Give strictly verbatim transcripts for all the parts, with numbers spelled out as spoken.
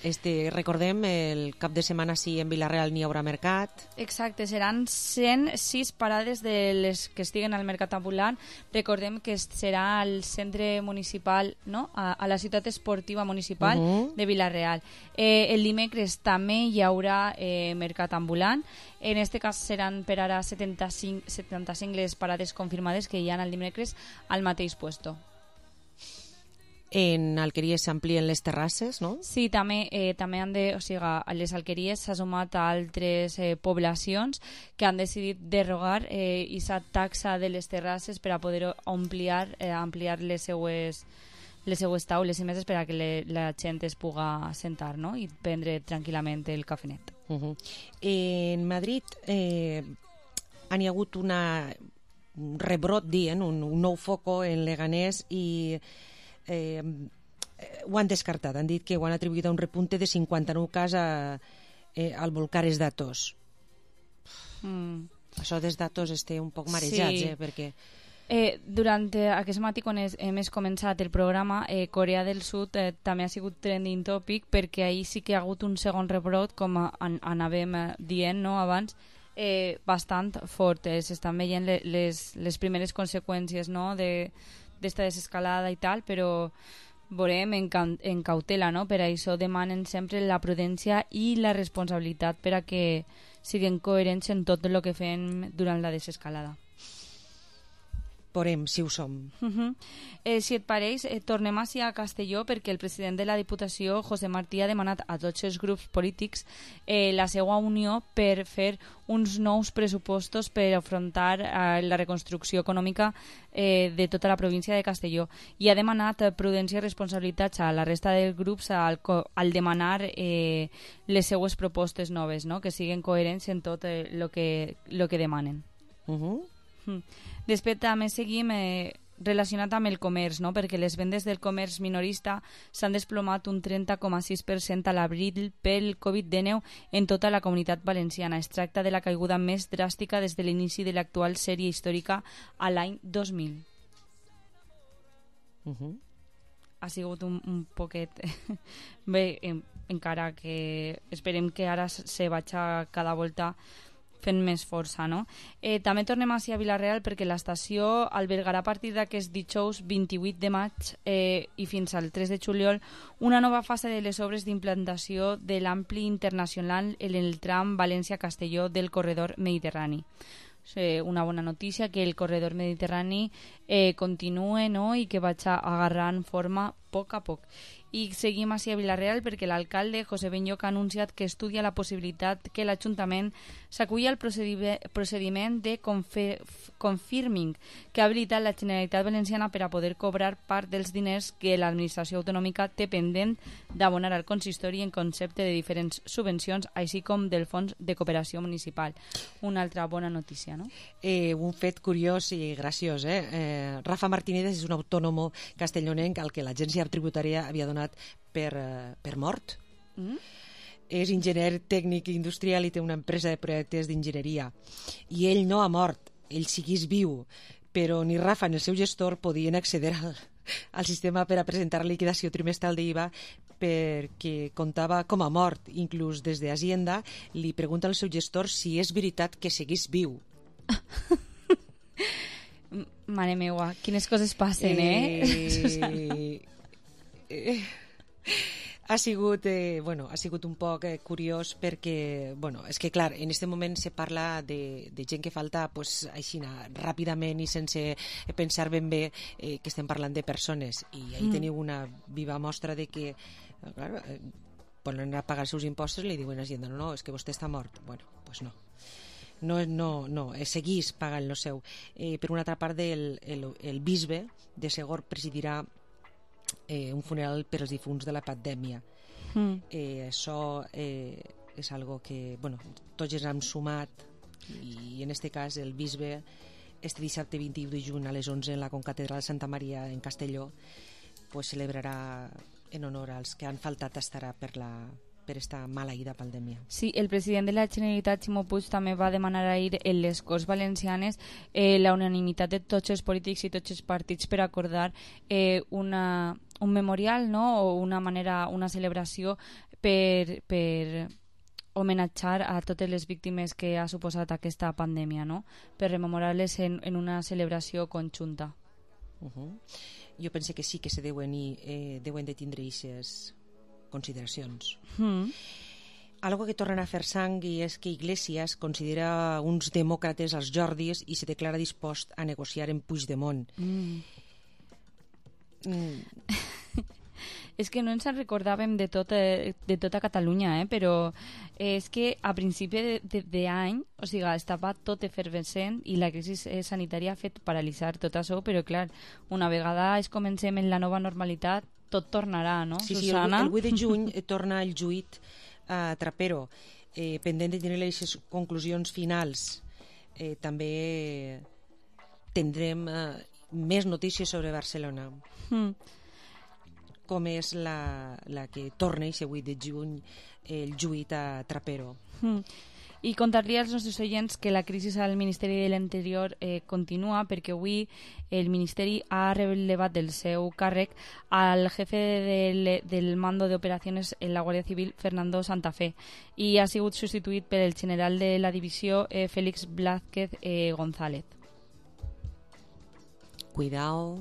Este, recordem, el cap de setmana sí en Vila-real n'hi haurà mercat. Exacte, seran cent sis parades de les que estiguen al mercat ambulant. Recordem que serà al centre municipal, no? a, a la ciutat esportiva municipal uh-huh. de Vila-real. Eh, el dimecres també hi haurà eh, mercat ambulant. En este cas seran per ara setanta-cinc, setanta-cinc les parades confirmades que hi ha el dimecres al mateix puesto. En Alqueries s'amplien les terrasses, no? Sí, també, eh, també han de, o sigui, a les Alqueries s'ha sumat a altres eh, poblacions que han decidit derogar eh, aquesta taxa de les terrasses per a poder ampliar, eh, ampliar les seues, les seues taules i meses per a que le, la gent es puga sentar, no? I prendre tranquil·lament el cafenet. Uh-huh. En Madrid eh, han hi hagut una, un rebrot, dient, un, un nou foco en Leganés i Eh, ho han descartat, han dit que ho han atribuït a un repunte de cinquanta-nou casos a, eh, al Volcares d'Atos. Mm. Això dels datos esté un poc marejats, sí. eh, perquè... Eh, durant eh, aquest matí, quan és, hem començat el programa, eh, Corea del Sud eh, també ha sigut trending topic perquè ahir sí que ha hagut un segon rebrot, com an anàvem eh, dient no, abans, eh, bastant fort. Eh, S'estan veient le les, les primeres conseqüències no, de d'esta desescalada i tal, però veurem en, en cautela, no? Per això demanen sempre la prudència i la responsabilitat per a que siguin coherents en tot el que fem durant la desescalada. Veurem si ho som. Uh -huh. eh, si et pareix, eh, tornem així a Castelló perquè el president de la Diputació, José Martí, ha demanat a tots els grups polítics eh, la seva unió per fer uns nous pressupostos per afrontar eh, la reconstrucció econòmica eh, de tota la província de Castelló. I ha demanat eh, prudència i responsabilitats a la resta dels grups al, al demanar eh, les seues propostes noves, no? Que siguin coherents en tot el eh, que, lo que demanen. Uh -huh. Mm. Després també seguim eh, relacionat amb el comerç, no? Perquè les vendes del comerç minorista s'han desplomat un trenta coma sis per cent a l'abril pel covid dinou en tota la comunitat valenciana. Es tracta de la caiguda més dràstica des de l'inici de l'actual sèrie històrica a l'any dos mil. Uh -huh. Ha sigut un, un poquet... Bé, en, encara que esperem que ara se vagi cada volta fent més força, no? Eh, també tornem així a Vila-real perquè l'estació albergarà a partir d'aquest dijous vint-i-vuit de maig eh, i fins al tres de juliol una nova fase de les obres d'implantació de l'ampli internacional en el tram València-Castelló del corredor mediterrani. Eh, una bona notícia que el corredor mediterrani eh, continue, no? I que vagi agarrant forma a poc a poc. I seguim així a Vila-real perquè l'alcalde José Benlloc ha anunciat que estudia la possibilitat que l'Ajuntament s'aculli al procediment de confirming que ha habilitat la Generalitat Valenciana per a poder cobrar part dels diners que l'administració autonòmica té pendent d'abonar al consistori en concepte de diferents subvencions, així com del Fons de Cooperació Municipal. Una altra bona notícia, no? Eh, un fet curiós i graciós, eh? eh Rafa Martínez és un autònomo castellonenc al que l'agència tributària havia donat per, uh, per mort. Mm? És enginyer tècnic industrial i té una empresa de projectes d'enginyeria. I ell no ha mort, ell seguís viu, però ni Rafa ni el seu gestor podien accedir al, al sistema per a presentar la liquidació trimestral d'I V A perquè comptava com a mort. Inclús des de Hacienda li pregunta al seu gestor si és veritat que seguís viu. Mare meua, quines coses passen, eh? eh... eh... Ha sigut, eh, bueno, ha sigut un poc eh, curiós perquè, bueno, és que clar, en aquest moment se parla de, de gent que falta pues, així, ràpidament i sense pensar ben bé eh, que estem parlant de persones, i ahí mm. teniu una viva mostra de que clar, eh, volen anar a pagar els seus impostos i li diuen a Hacienda, no, no, és que vostè està mort. Bueno, pues no. No, no, no, seguís pagant lo seu. Eh, per una altra part, el, el, el bisbe de Segor presidirà eh, un funeral per als difunts de la pandèmia. Mm. Eh, això eh, és algo que, bueno, tots ens hem sumat, i en aquest cas el bisbe este dissabte vint-i-u de juny a les onze en la concatedral de Santa Maria en Castelló pues celebrarà en honor als que han faltat, estarà per la per esta maleïda pandèmia. Sí, el president de la Generalitat, Ximo Puig, també va demanar ahir en les Corts Valencianes eh, la unanimitat de tots els polítics i tots els partits per acordar eh, una, un memorial, no?, o una manera, una celebració per, per homenatjar a totes les víctimes que ha suposat aquesta pandèmia, no?, per rememorar-les en, en una celebració conjunta. Uh-huh. Jo penso que sí que se deuen, i, eh, deuen de tindre aquestes consideracions. Mm. Algo que tornen a fer sang i és que Iglesias considera uns demòcrates als Jordis i se declara dispost a negociar amb Puigdemont. Mm. Mm. És que no ens en recordàvem de, tot, de tota Catalunya, eh? Però és que a principi d'any, o sigui, estava tot efervescent i la crisi sanitària ha fet paralitzar tot això, però clar, una vegada es comencem en la nova normalitat, tot tornarà, no, sí, sí, Susana? el, el vuit de juny eh, torna el juït a Trapero, eh, pendent de tenir les conclusions finals. Eh, també tindrem eh, més notícies sobre Barcelona. Mm. Com és la, la que torna aquest vuit de juny el juït a Trapero. Mm. I contar-li als nostres oients que la crisi al Ministeri de l'Interior eh, continua, perquè avui el Ministeri ha relevat del seu càrrec al jefe del, del mando d'operacions en la Guàrdia Civil, Fernando Santa Fe, i ha sigut substituït per el general de la divisió, eh, Félix Blázquez eh, González. Cuidao.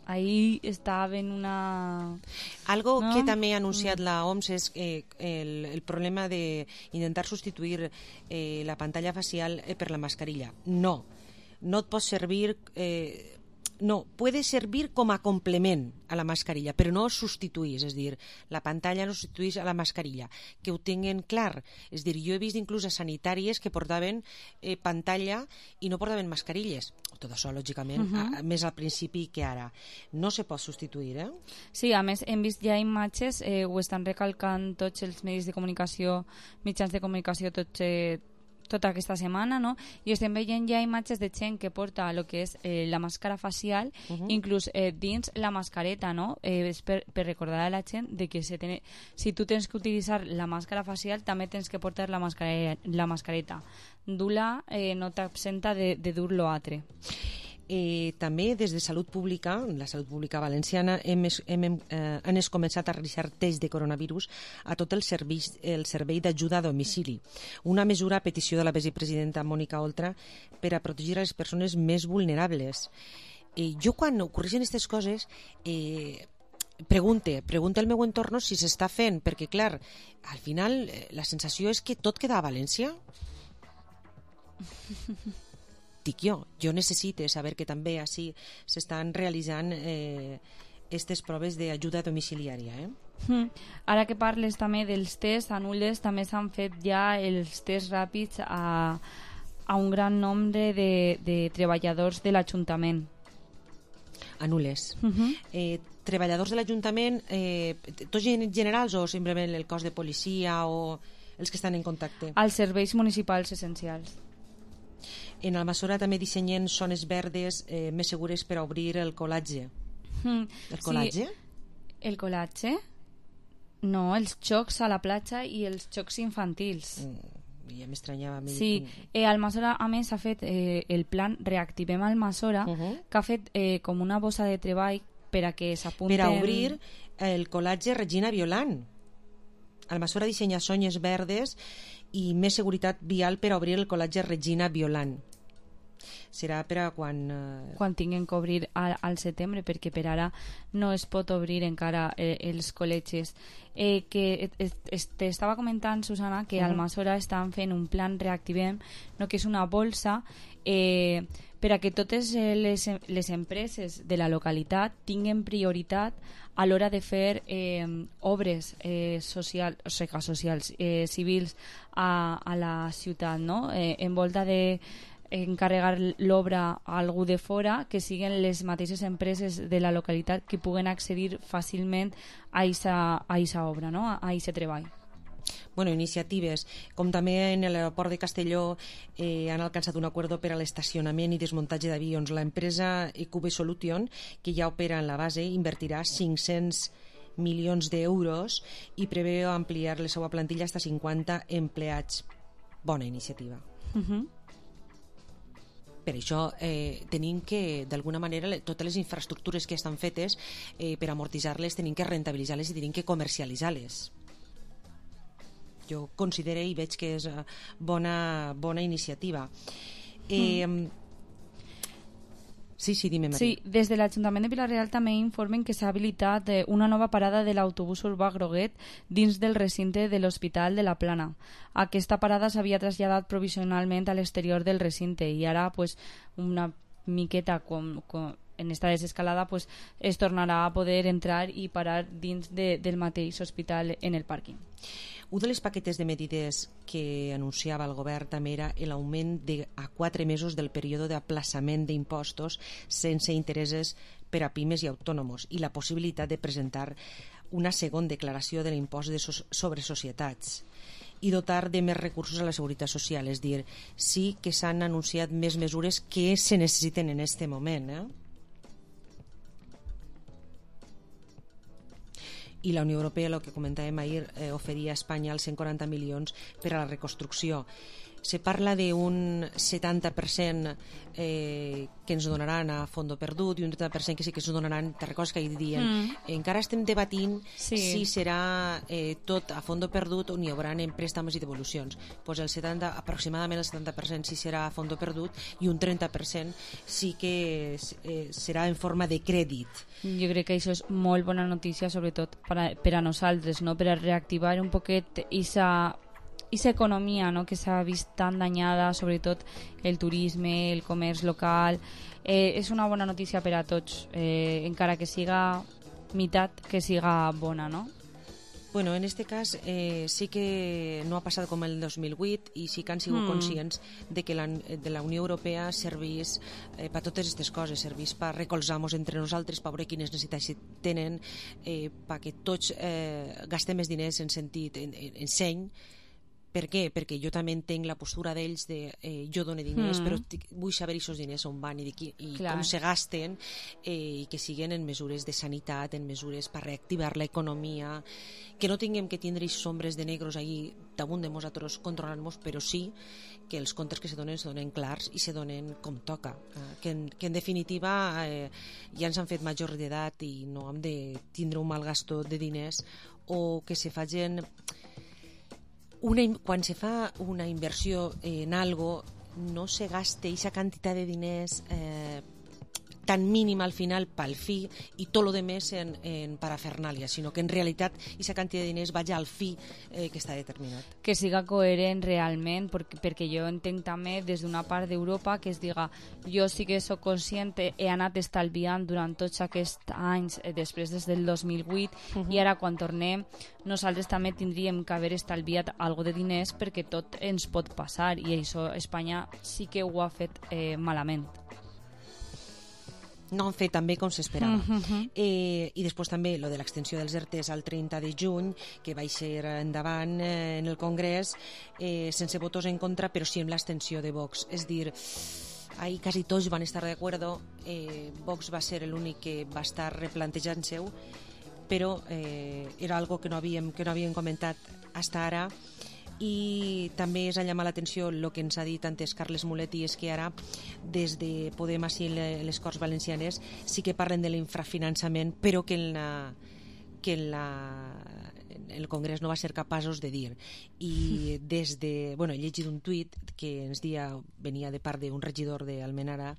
Ahí estava en una... Algo ¿no? que també ha anunciat la O M S és eh, el, el problema de intentar substituir eh, la pantalla facial eh, per la mascarilla. No, no et pot servir... Eh, no, puede servir com a complement a la mascarilla, però no substituís, és dir, la pantalla no substituís a la mascarilla, que ho tinguen clar. És dir, jo he vist inclús a sanitàries que portaven eh, pantalla i no portaven mascarilles. Tot això, lògicament, uh -huh. a, més al principi que ara. No se pot substituir, eh? Sí, a més, hem vist ja imatges, eh, ho estan recalcant tots els medis de comunicació, mitjans de comunicació, tots... Eh, tota aquesta setmana, no? I estem veient ja imatges de gent que porta el que és eh, la màscara facial, uh -huh. inclús eh, dins la mascareta, no? Eh, és per, per recordar a la gent de que se ten... si tu tens que utilitzar la màscara facial, també tens que portar la mascareta. La mascareta. Dur-la eh, no t'absenta de, de dur lo altre. Eh, també des de Salut Pública, la Salut Pública Valenciana, hem, hem, eh, han començat a realitzar tests de coronavirus a tot el servei, el servei d'ajuda a domicili. Una mesura a petició de la vicepresidenta Mònica Oltra per a protegir a les persones més vulnerables. Eh, jo quan ocorreixen aquestes coses eh, pregunte, pregunte al meu entorn si s'està fent, perquè clar, al final eh, la sensació és que tot queda a València. Dic jo, jo necessito saber que també així s'estan realitzant eh, aquestes proves d'ajuda domiciliària. Eh? Mm. Ara que parles també dels tests, a Nulles també s'han fet ja els tests ràpids a, a un gran nombre de, de treballadors de l'Ajuntament. A Nulles. Uh -huh. eh, treballadors de l'Ajuntament, eh, tots generals o simplement el cos de policia o els que estan en contacte? Als serveis municipals essencials. En Almassora també dissenyen zones verdes eh, més segures per a obrir el colatge. Mm. El colatge? Sí, el colatge? No, els jocs a la platja i els jocs infantils. Mm, ja m'estranyava. Sí, eh, Almassora a més ha fet eh, el plan Reactivem Almassora, uh -huh. que ha fet eh, com una bossa de treball per a que s'apunten... Per a obrir el colatge Regina Violant. Almassora dissenya zones verdes i més seguretat vial per a obrir el colatge Regina Violant. Serà per a quan... Eh... Quan tinguin que obrir al, al setembre, perquè per ara no es pot obrir encara eh, els col·legis. Eh, que t'estava comentant, Susana, que a Almassora estan fent un plan Reactivem, no, que és una bolsa eh, per a que totes les, les empreses de la localitat tinguin prioritat a l'hora de fer eh, obres eh, social, o sigui, socials, eh, civils a, a la ciutat, no? Eh, en volta de encarregar l'obra a algú de fora, que siguin les mateixes empreses de la localitat que puguen accedir fàcilment a aquesta obra, no? a aquest treball. Bueno, iniciatives, com també en l'aeroport de Castelló eh, han alcançat un acord per a l'estacionament i desmuntatge d'avions. L'empresa Cube Solution, que ja opera en la base, invertirà cinc-cents milions d'euros i preveu ampliar la seva plantilla fins a cinquanta empleats. Bona iniciativa. Uh-huh. Per això eh, tenim que, d'alguna manera, totes les infraestructures que estan fetes, eh, per amortitzar-les, tenim que rentabilitzar-les i tenim que comercialitzar-les. Jo considero i veig que és bona, bona iniciativa. Eh, mm. Sí, sí, dime, Maria. Sí, des de l'Ajuntament de Vila-real també informen que s'ha habilitat una nova parada de l'autobús urbà Groguet dins del recinte de l'Hospital de la Plana. Aquesta parada s'havia traslladat provisionalment a l'exterior del recinte i ara pues, una miqueta com, com en esta desescalada pues, es tornarà a poder entrar i parar dins de, del mateix hospital en el pàrquing. Un de les paquetes de medides que anunciava el govern també era l'augment de a quatre mesos del període d'aplaçament d'impostos sense interessos per a pimes i autònoms i la possibilitat de presentar una segona declaració de l'impost de so sobre societats i dotar de més recursos a la seguretat social. És dir, sí que s'han anunciat més mesures que se necessiten en aquest moment, eh? I la Unió Europea, el que comentàvem ahir, eh, oferia a Espanya els cent quaranta milions per a la reconstrucció. Se parla d'un setanta per cent eh, que ens donaran a fondo perdut i un trenta per cent que sí que ens donaran, te recordes que ahir dient, mm. encara estem debatint sí. si serà eh, tot a fondo perdut o n'hi haurà en préstamos i devolucions. Pues el setanta, aproximadament el setanta per cent sí serà a fondo perdut i un trenta per cent sí que eh, serà en forma de crèdit. Jo crec que això és molt bona notícia, sobretot per a, per a nosaltres, no? Per a reactivar un poquet esa esa economia, no? Que s'ha vist tan danyada, sobretot el turisme, el comerç local. Eh, és una bona notícia per a tots, eh, encara que siga meitat, que siga bona, no? Bueno, en este cas eh, sí que no ha passat com el dos mil vuit i sí que han sigut mm. conscients de que la, de la Unió Europea servís eh, per totes aquestes coses, servís per recolzar-nos entre nosaltres, per veure quines necessitats tenen, eh, perquè tots eh, gastem més diners en sentit, en, en, en seny. Per què? Perquè jo també entenc la postura d'ells de eh, jo dono diners, mm. però vull saber aquests diners on van i, de qui, i com se gasten, eh, i que siguin en mesures de sanitat, en mesures per reactivar l'economia, que no tinguem que tindre aquests ombres de negros ahí damunt de nosaltres controlant-nos, però sí que els comptes que se donen se donen clars i se donen com toca, eh, que, en, que en definitiva eh, ja ens han fet major d'edat i no hem de tindre un mal gasto de diners o que se facin... Una, quan se fa una inversió en algo no se gaste esa quantitat de diners eh, tan mínima al final pel fi i tot lo demés en, en parafernàlia, sinó que en realitat esa quantitat de diners vagi al fi eh, que està determinat. Que siga coherent realment, perquè, perquè jo entenc també des d'una part d'Europa que es diga jo sí que soc conscient, he anat estalviant durant tots aquests anys eh, després des del dos mil vuit uh -huh. i ara quan tornem nosaltres també tindríem que haver estalviat algo de diners perquè tot ens pot passar i això Espanya sí que ho ha fet eh, malament. No han fet també com s'esperava. Uh-huh. eh, I després també lo de l'extensió dels E R Tes al trenta de juny, que va ser endavant eh, en el Congrés, eh, sense votos en contra, però sí amb l'extensió de Vox. És dir, ahí quasi tots van estar d'acord, eh, Vox va ser l'únic que va estar replantejant-se-ho, però eh, era algo que no havíem, que no havíem comentat fins ara. I també és a llamar l'atenció el que ens ha dit antes Carles Moletti, és que ara des de Podem així les Corts Valencianes sí que parlen de l'infrafinançament, però que en, la, que en, la, en el Congrés no va ser capaços de dir. I des de... Bueno, he llegit un tuit que ens dia, venia de part d'un regidor d'Almenara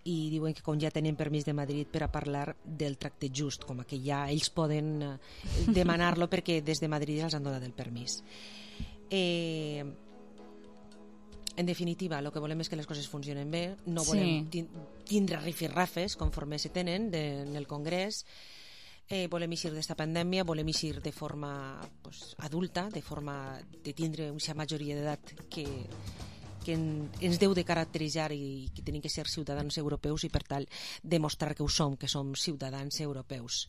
i diuen que com ja tenen permís de Madrid per a parlar del tracte just, com que ja ells poden demanar-lo perquè des de Madrid els han donat el permís. Eh, en definitiva, el que volem és que les coses funcionen bé, no volem sí. tindre rifirrafes conforme se tenen de, en el Congrés, eh, volem eixir d'esta pandèmia, volem eixir de forma pues, adulta, de forma de tindre una majoria d'edat que, que en, ens deu de caracteritzar i que tenim que ser ciutadans europeus i per tal demostrar que ho som, que som ciutadans europeus.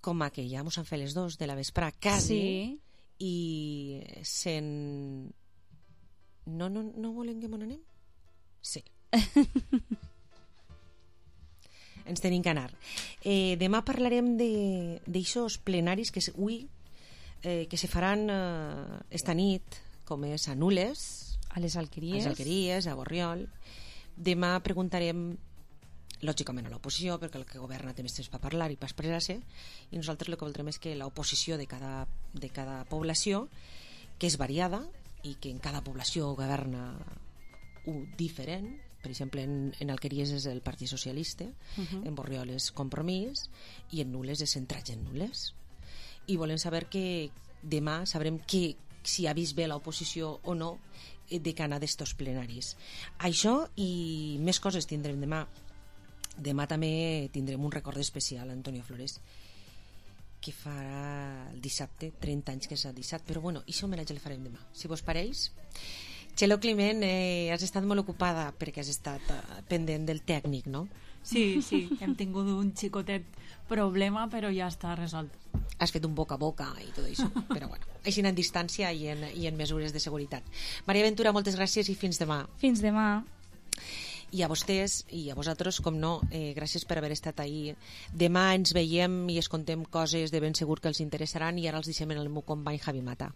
Com aquella, mos han fet les dos de la vesprà, quasi, sí. I sen... No, no, no volem que m'on anem? Sí. ens tenim que anar. Eh, demà parlarem d'aixòs plenaris que avui eh, que se faran eh, esta nit, com és a Nules, a les Alqueries, a les Alqueries, a Borriol. Demà preguntarem lògicament a l'oposició, perquè el que governa té més temps per parlar i per expressar-se, i nosaltres el que voldrem és que l'oposició de cada, de cada població, que és variada i que en cada població governa un diferent, per exemple en, en Alqueries és el Partit Socialista, uh-huh. en Borriol és Compromís i en Nules és Centrats en Nules, i volem saber que demà sabrem que, si ha vist bé l'oposició o no de cara d'estos plenaris. Això i més coses tindrem demà. Demà també tindrem un record especial a Antonio Flores, que farà el dissabte, trenta anys que és el dissabte, però bueno, això homenatge el farem demà, si vos pareix. Txelo Climent, eh, has estat molt ocupada perquè has estat eh, pendent del tècnic, no? Sí, sí, hem tingut un xicotet problema, però ja està resolt. Has fet un boca a boca i tot això, però bueno, així en distància i en, i en mesures de seguretat. Maria Ventura, moltes gràcies i fins demà. Fins demà. I a vostès i a vosaltres, com no, eh, gràcies per haver estat ahí. Demà ens veiem i es contem coses de ben segur que els interessaran, i ara els deixem en el meu company Javi Mata.